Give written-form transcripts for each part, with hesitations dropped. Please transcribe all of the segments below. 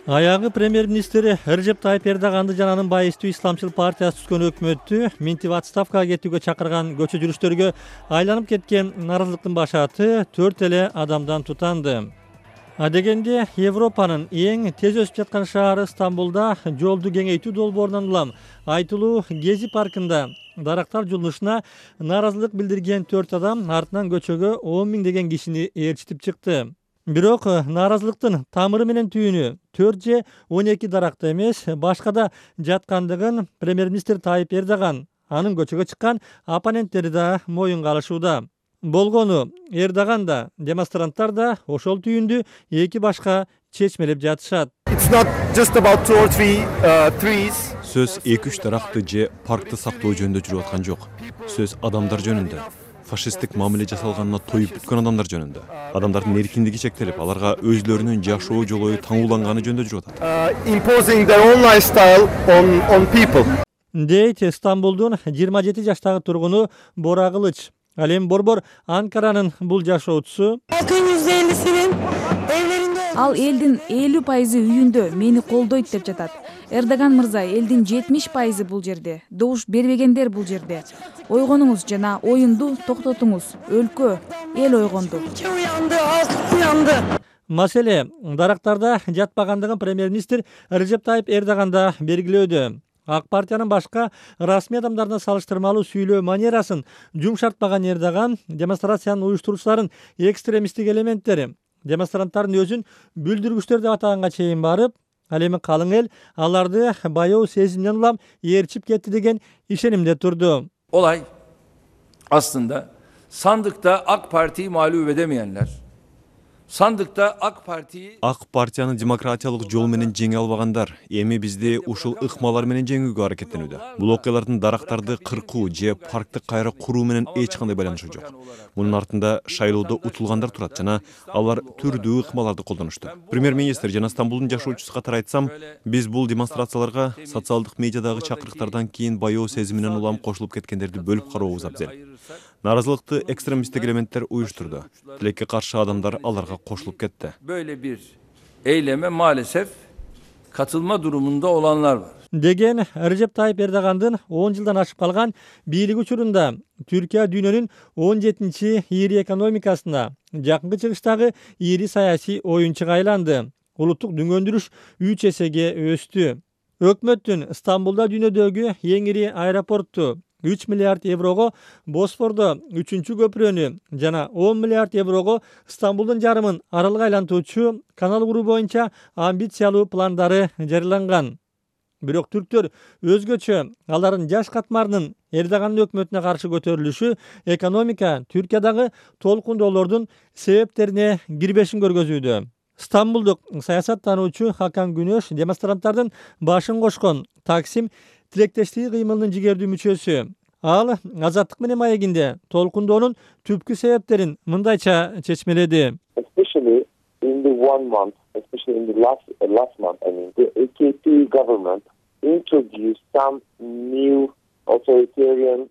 Аягы премьер-министри Режеп Тайып Эрдоганды жана анын байыстуу исламчыл партиясы түзгөн өкмөттү минтип отставкага кетүүгө чакырган көчө жүрүштөргө айланып кеткен нааразылыктын башааты 4 эле адамдан тутанды. Адегенде Европанын эң тез өсүп жаткан шаары Стамбулда жолду кеңейтүү долбоорунан улам айтылуу Гези паркында дарактар жулунушуна нааразылык билдирген 4 адам артынан көчөгө 10 000 деген кишини ээрчитип чыкты. Бирок нааразылыктын тамыры менен түйүнү 4 же 12 даракта эмес, башка да жаткандыгын премьер-министр Тайып Эрдоган анын көчөгө чыккан оппоненттери да моюнга алышууда. Болгону Эрдоган да, демонстранттар да ошол түйүндү эки башка чечмелеп жатышат. Сөз 2-3 даракты же паркты сактоо жөнүндө жүрүп аткан жок. Сөз адамдар жөнүндө. Фашисттик мамиле жасалганына тоюп бүткөн адамдар жөнүндө. Адамдардын эркиндиги чектелип, аларга өзлөрүнүн жашоо жолу таңууланганы жөнүндө жүрүп атат. Imposing their own lifestyle on people. Дейт Стамбулдун 27 жаштагы тургуну Бора Кылыч. Ал эми борбор Анкаранын бул жашоочусу. Ал элдин 50% үйүндө мени колдойт деп жатат. Эрдоган мырза, элдин 70% бул жерде. Добуш бербегендер бул жерде. Ойгонуңуз жана оюнду токтотуңуз. Өлкө, эл ойгонду. Маселе дарактарда жатпагандыгын премьер-министр Режеп Тайып Эрдоган да белгилөөдө. Ак партиянын башка расмий адамдарына салыштырмалуу сүйлөө манерасын жумшартпаган Эрдоган демонстрациянын уюштуруучуларын экстремисттик элементтери, демонстранттардын өзүн бүлдүргүчтөр деп атаганга чейин барып, ал эми калың эл аларды баяу сезимден улам ээрчип кетти деген ишенимде турду. Olay aslında sandıkta AK Parti'yi mağlup edemeyenler, sandıkta AK Parti'yi Партиянын демократиялык жол менен жеңе албагандар эми бизди ушул ыкмалар менен жеңүүгө аракеттенүүдө. Бул окуялардын дарактарды кыркуу же паркты кайра куруу менен эч кандай байланышы жок. Мунун артында шайлоодо утулгандар турат жана алар түрдүү ыкмаларды колдонушту. Премьер-министр жана Стамбулдун жашоочусу катары айтсам, биз бул демонстрацияларга социалдык медиадагы чакырыктардан кийин баяоо сезиминен улам кошулуп кеткендерди бөлүп карообуз абзел. Нааразылыкты экстремисттик элементтер уюштурду. Тилекке каршы адамдар аларга кошулуп кетти. Böyle bir eyleme maalesef katılma durumunda olanlar var. Деген Режеп Тайып Эрдогандын 10 жылдан ашып калган бийлиги учурунда Түркия дүйнөнүн 17-чи ири экономикасына, жакынкы чыгыштагы ири саясий оюнчуга айланды. Улуттук дүңгөндүрүш 3 эсеге өстү. Өкмөттүн Стамбулда дүйнөдөгү эң ири аэропортту 3 миллиард еврого, Босфордо 3-чү көпүрөнү жана 10 миллиард еврого Стамбулдун жарымын аралга айлантуучу канал куруу боюнча амбициялуу пландары жарыяланган. Бирок түрктөр өзгөчө алардын жаш катмарынын Эрдогандын өкмөтүнө каршы көтөрүлүшү экономика Түркиядагы толкундоолордун себептерине кирбешин көргөзүүдө. Стамбулдук саясаттануучу Хакан Күнөш демонстранттардын башын кошкон Таксим тилектештиги кыймылынын жигердүү мүчөсү. Ал Азаттык менен маегинде толкундоонун түпкү себептерин мындайча чечмеледи. Especially in the 1 month, especially in the last month, the AKP government introduced some new authoritarian.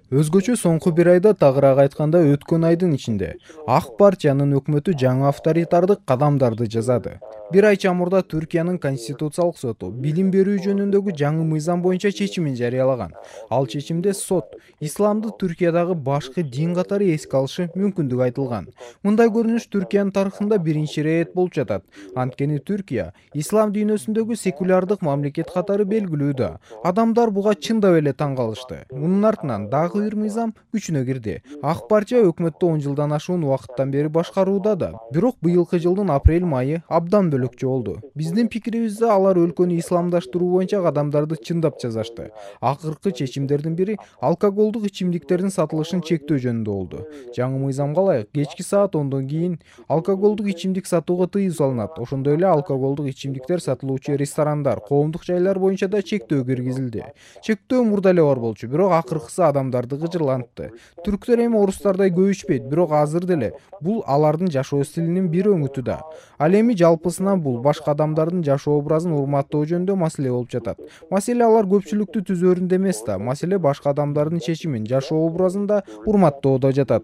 Өзгөчө соңку бир айда тагыраак айтканда өткөн айдын ичинде Ак партиянын өкмөтү жаңы авторитардык кадамдарды жасады. Бир ай чамурда Түркиянын конституциялык соту билим берүү жөнүндөгү жаңы мыйзам боюнча чечимин жарыялаган. Ал чечимде сот исламды Түркиядагы башкы дин катары эске алышы мүмкүндүгү айтылган. Мындай көрүнүш Түркиянын тарыхында биринчи ирет болуп жатат. Анткени Түркия ислам дүйнөсүндөгү секулярдык мамлекет катары белгилүүдө. Адамдар буга чындап эле таң калышты. Мунун артынан дагы бир мыйзам күчүнө кирди. Ак партия өкмөттү 10 жылдан ашуун убакыттан бери башкарууда да. Бирок быйылкы жылдын апрель-майы абдан бөлөкчө болду. Биздин пикирибизде алар өлкөнү исламдаштыруу боюнча кадамдарды чындап жасашты. Акыркы чечимдердин бири алкоголдук ичимдиктердин сатылышын чектөө жөнүндө болду. Жаңы мыйзамга ылайык кечки саат 10дон кийин алкоголдук ичимдик сатууга тыюу салынат. Ошондой эле алкоголдук ичимдиктер сатылуучу ресторандар, коомдук жайлар боюнча да чектөө киргизилди. Чектөө мурда эле бар болчу, бирок акыркысы адамдарды гыжырлантты. Түрктөр эми орустардай көбүчпөйт, бирок азыр деле бул алардын жашоо стилинин бир өңүтү да. Ал эми жалпысынан бул башка адамдардын жашоо образын урматтоо жөнүндө маселе болуп жатат. Маселе алар көпчүлүктү түзөрүндө эмес да, маселе башка адамдардын чечимин, жашоо образын да урматтоодо жатат.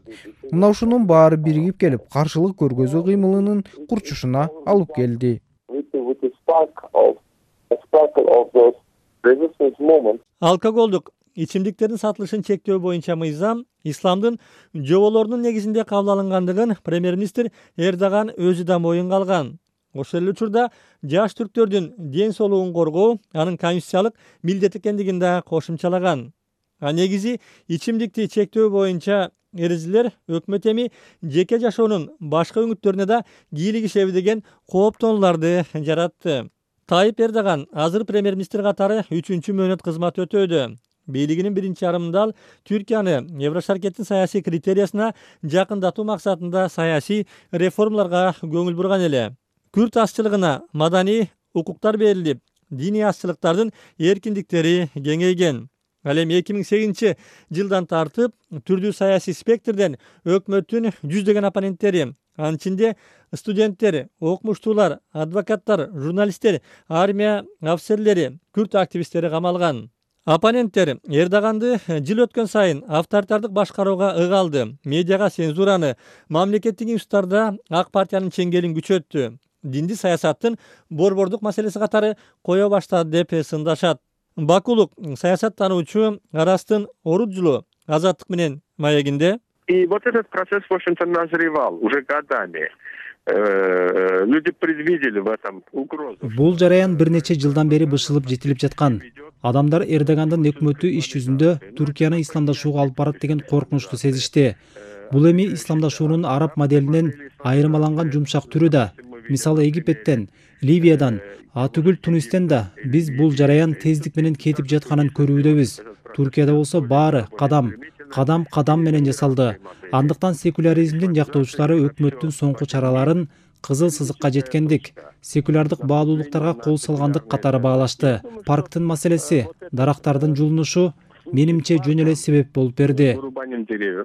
Мына ушунун баары биригип келип, каршылык көргөзүү кыймылынын курчушуна алып келди. sparkle of those resistance moments. Алкоголдук ичимдиктердин сатылышын чектөө боюнча мыйзам исламдын жоболорунун негизинде кабыл алынгандыгын премьер-министр Эрдоган өзү да моюнга алган. Ошол эле учурда жаш түрктөрдүн ден соолугун коргоо анын конституциялык милдет экендигин да кошумчалаган. Негизи ичимдикти чектөө боюнча эрежелер өкмөт эми жеке жашоонун башка өңүттөрүнө да кийлик ишеби деген кооптонууларды жаратты. Тайып Эрдоган азыр премьер-министр катары 3-чү мөөнөт кызмат өтөөдө. Бийлигинин биринчи жарымында ал Түркияны Еврошаркеттин саясий критериясына жакындатуу максатында саясий реформаларга көңүл бурган эле. Күрд азчылыгына маданий укуктар берилип, диний азчылыктардын эркиндиктери кеңейген. Ал эми 2008 жылдан тартып түрдүү саясий спектрден өкмөттүн жүздөгөн оппоненттери, анын ичинде студенттер, окумуштуулар, адвокаттар, журналисттер, армия офицерлери, күрд активисттери камалган. Оппоненттер Эрдоганды жыл өткөн сайын авторитардык башкарууга ыгалды, медиага цензураны, мамлекеттик институттарда ак партиянын чеңгелин күчөттү, динди саясаттын борбордук маселеси катары кое баштады деп сындашат. Бакулук саясаттануучу Арастын Оруджулу Азаттык менен маегинде: И вот этот процесс, в общем-то, назревал уже годами. Люди предвидели в этом угрозу. Бул жараян бир нече жылдан бери бышылып жетилип жаткан. Адамдар Эрдогандын өкмөтү иш жүзүндө Түркияны исламдашууга алып барат деген коркунучту сезишти. Бул эми исламдашуунун араб моделинен айырмаланган жумшак түрү да. Мисалы Египеттен, Ливиядан, түгүл Тунистен да биз бул жараян тездик менен кетип жатканын көрүүдөбүз. Туркияда болсо баары кадам менен жасалды. Андыктан секуляризмдин жактоочулары өкмөттүн соңку чараларын кызыл сызыкка жеткендик, секулярдык баалуулуктарга кол салгандык катары баалашты. Парктын маселеси, дарактардын жулунушу менимче жөн эле себеп болуп берди.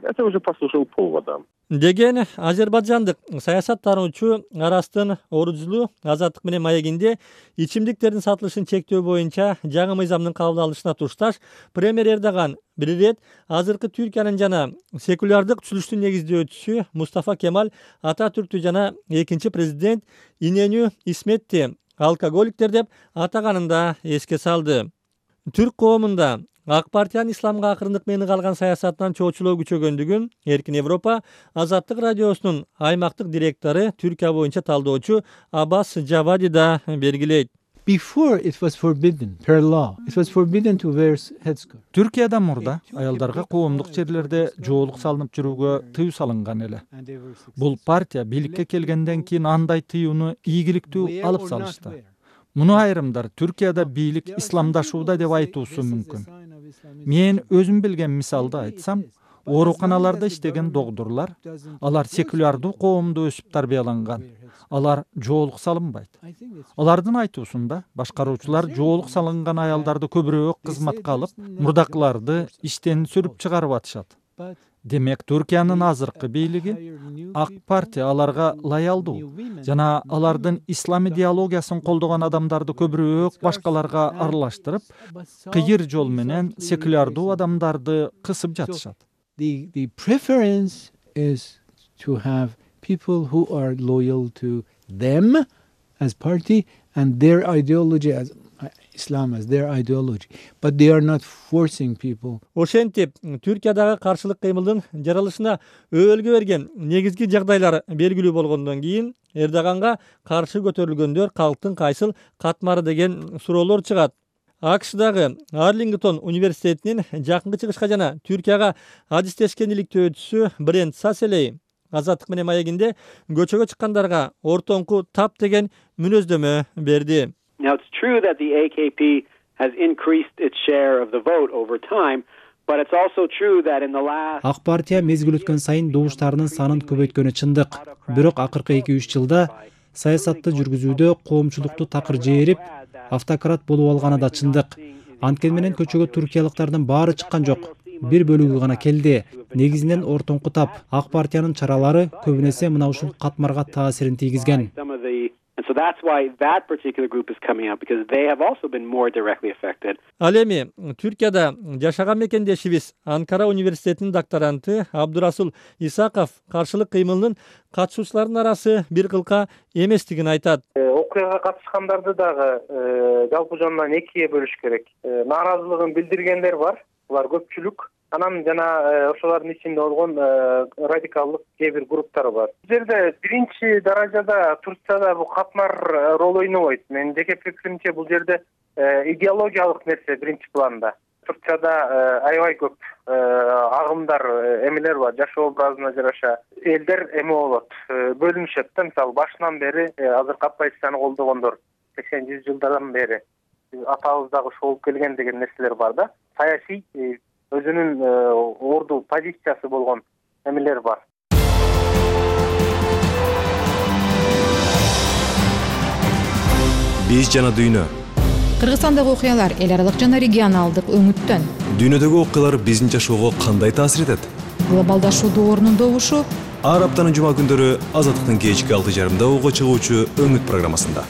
Это уже послужило поводом. Деген азербайжандык саясаттануучу Арастын Оруджулу Азаттык менен маегинде ичимдиктердин сатылышын чектөө боюнча жаңы мыйзамдын кабыл алынышына тушташ премьер Эрдоган бир ирет азыркы Түркиянын жана секулярдык түзүлүштүн негиздөөчүсү Мустафа Кемаль Ататүрктү жана экинчи президент Иненю Исметти алкоголиктер деп атаганын да эске салды. Түрк коомунда ак партиянын исламга акырындык менен калган саясатынан чоочулоо күчөгөндүгүн Эркин Европа Азаттык радиосунун аймактык директору Түркия боюнча талдоочу Аббас Жавади да белгилейт. Before it was forbidden per law. It was forbidden to wear headscarf. Түркияда мурда аялдарга коомдук жерлерде жоолук салынып жүрүүгө тыюу салынган эле. Бул партия бийликке келгенден кийин андай тыюуну ийгиликтүү алып салышты. Муну айрымдар Түркияда бийлик исламдашууда деп айтуусу мүмкүн. Мен өзүм билген мисалды айтсам, ооруканаларда иштеген докторлор, алар секулярдуу коомдо өсүп тарбияланган. Алар жоолук салынбайт. Алардын айтуусунда башкаруучулар жоолук салынган аялдарды көбүрөөк кызматка алып, мурдакыларды иштен сүрүп чыгарып атышат. Демек, Түркиянын азыркы бийлиги ак партия аларга лоялдуу жана алардын ислам идеологиясын колдогон адамдарды көбүрөөк башкаларга аралаштырып, кыйыр жол менен секулярдуу адамдарды кысып жатышат. The preference is to have people who are loyal to them as party and their ideology as Islam as their ideology, but they are not forcing people. Ошентип, Түркиядагы каршылык кыймылдын жаралышына өбөлгө берген негизги жагдайлар белгилүү болгондон кийин Эрдоганга каршы көтөрүлгөндөр калктын кайсыл катмары деген суроолор чыгат. АКШдагы Арлингтон университетинин жакынкы чыгышка жана Түркияга адистешкен иликтөөчүсү Брент Саселей Азаттык менен маегинде көчөгө чыккандарга ортоңку тап деген мүнөздөмө берди. Now it's true that the AKP has increased its share of the vote over time, but it's also true that in the last Ак партия мезгил өткөн сайын добуштарынын санын көбөйткөнү чындык. Бирок акыркы 2-3 жылда саясатты жүргүзүүдө коомчулукту такыр жээрип, автократ болуп алганы да чындык. Анткени менен көчөгө туркиялыктардын баары чыккан жок. Бир бөлүгү гана келди. Негизинен ортоңку тап ак партиянын чаралары көбүнесе мына ушул катмарга таасирин тийгизген. And so that's why that particular group is coming out, because they have also been more directly affected. Ал эми Түркияда жашаган мекендешибиз Анкара университетинин докторанты Абдурасул Исаков каршылык кыймылынын катышуучуларынын арасы бир кылка эместигин айтат. Окуяга катышкандарды дагы жалпы жонунан экиге бөлүш керек. Нааразылыгын билдиргендер бар, булар көпчүлүк. Анан жана ошолордун ичинде болгон радикалдык кээ бир групптар бар. Бул жерде биринчи даражада Турцияда бул катмар роль ойнобойт. Менин жеке пикиримче бул жерде идеологиялык нерсе биринчи планда. Турцияда аябай көп агымдар эмелер бар, жашоо образына жараша. Элдер эме болот, бөлүнүшөт да, мисалы башынан бери азыркы оппозицияны колдогондор 80-100 жылдардан бери атабыз дагы ошол келген деген нерселер бар да. Саясий өзүнүн орду позициясы болгон эмелер бар. Биз жана дүйнө. Кыргызстандагы окуялар эл аралык жана регионалдык өңүттөн. Дүйнөдөгү окуялар биздин жашоого кандай таасир этет? Глобалдашуудун орнундобушу ар аптанын жума күндөрү Азаттыктын кечки 6:30 чыгуучу Өңүт программасында.